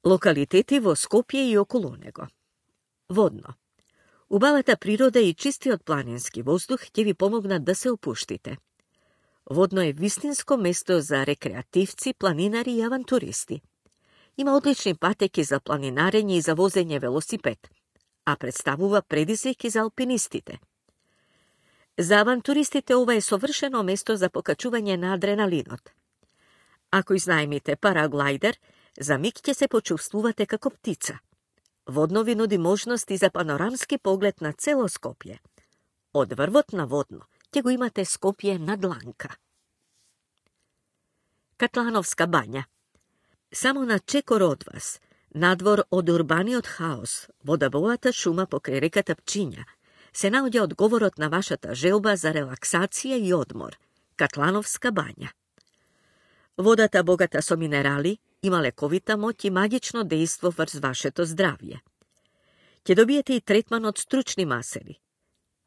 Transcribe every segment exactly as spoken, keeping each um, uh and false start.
Локалитети во Скопје и околу него. Водно. Убавата природа и чистиот планински воздух ќе ви помогнат да се опуштите. Водно е вистинско место за рекреативци, планинари и авантуристи. Има одлични патеки за планинарење и за возење велосипед, а представува предизвик и за алпинистите. За авантуристите ова е совршено место за покачување на адреналинот. Ако изнајмите параглайдер, за миг ќе се почувствувате како птица. Водно ви нуди можности за панорамски поглед на цело Скопје. Од врвот на Водно ќе го имате Скопје на дланка. Катлановска бања. Само на чекор од вас, надвор од урбаниот хаос, во дабовата шума покрај реката Пчиња, се наоѓа одговорот на вашата желба за релаксација и одмор – Катлановска бања. Водата богата со минерали има лековита моќ и магично дејство врз вашето здравје. Ќе добиете и третман од стручни масели.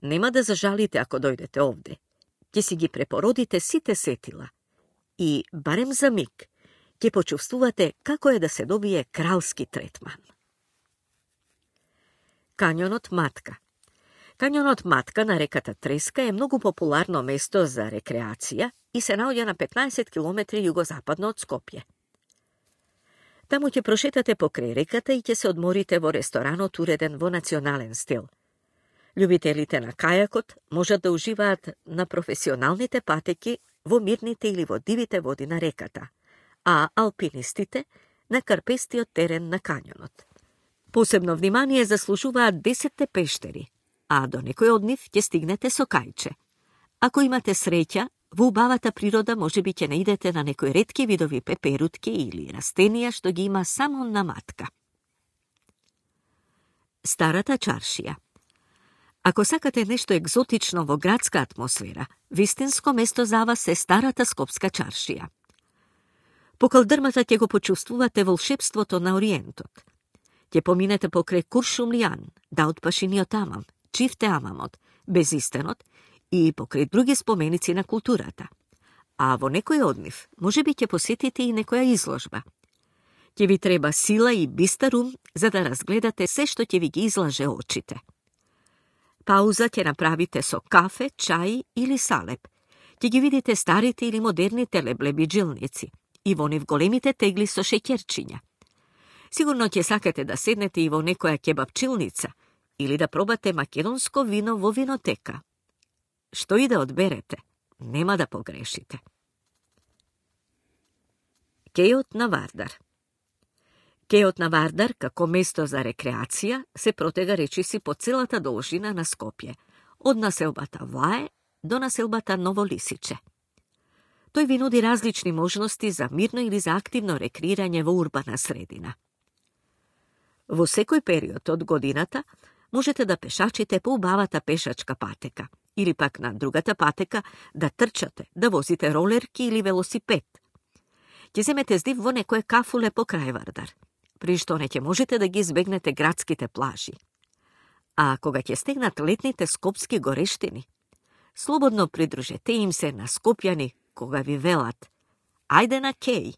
Нема да зажалите ако дојдете овде. Ќе си ги препородите сите сетила. И, барем за миг, ќе почувствувате како е да се добие кралски третман. Кањонот Матка. Кањонот Матка на реката Треска е многу популарно место за рекреација и се наоѓа на петнаесет километри југозападно од Скопје. Таму ќе прошетате покрај реката и ќе се одморите во ресторанот уреден во национален стил. Љубителите на кајакот можат да уживаат на професионалните патеки во мирните или во дивите води на реката, а алпинистите на карпестиот терен на кањонот. Посебно внимание заслужуваат десетте пештери, а до некој од нив ќе стигнете со кајче. Ако имате среќа, во убавата природа може би ќе наидете на некои ретки видови пеперутки или растенија што ги има само на Матка. Старата чаршија. Ако сакате нешто екзотично во градска атмосфера, вистинско место за вас е Старата скопска чаршија. По калдрмата ќе го почувствувате волшебството на Ориентот. Ќе поминете покрај Куршумлијан, Даутпашиниот амам, Чифте амамот, Безистенот и покрај други споменици на културата. А во некој од нив може би ќе посетите и некоја изложба. Ќе ви треба сила и бистар ум за да разгледате се што ќе ви ги излаже очите. Пауза ќе направите со кафе, чај или салеп. Ќе ги видите старите или модерните леблебиджилници и во нив големите тегли со шеќерчиња. Сигурно ќе сакате да седнете и во некоја кебапчилница или да пробате македонско вино во винотека. Што и да одберете, нема да погрешите. Кејот на Вардар. Кејот на Вардар, како место за рекреација, се протега речиси по целата должина на Скопје, од населбата Вае до населбата Ново Лисиче. Тој ви нуди различни можности за мирно или за активно рекреирање во урбана средина. Во секој период од годината можете да пешачите по убавата пешачка патека, или пак на другата патека да трчате, да возите ролерки или велосипед. Ќе земете здив во некое кафуле по крај Вардар, при што не ќе можете да ги избегнете градските плажи. А кога ќе стегнат летните скопски горештини, слободно придружете им се на скопјани кога ви велат: ајде на кеј.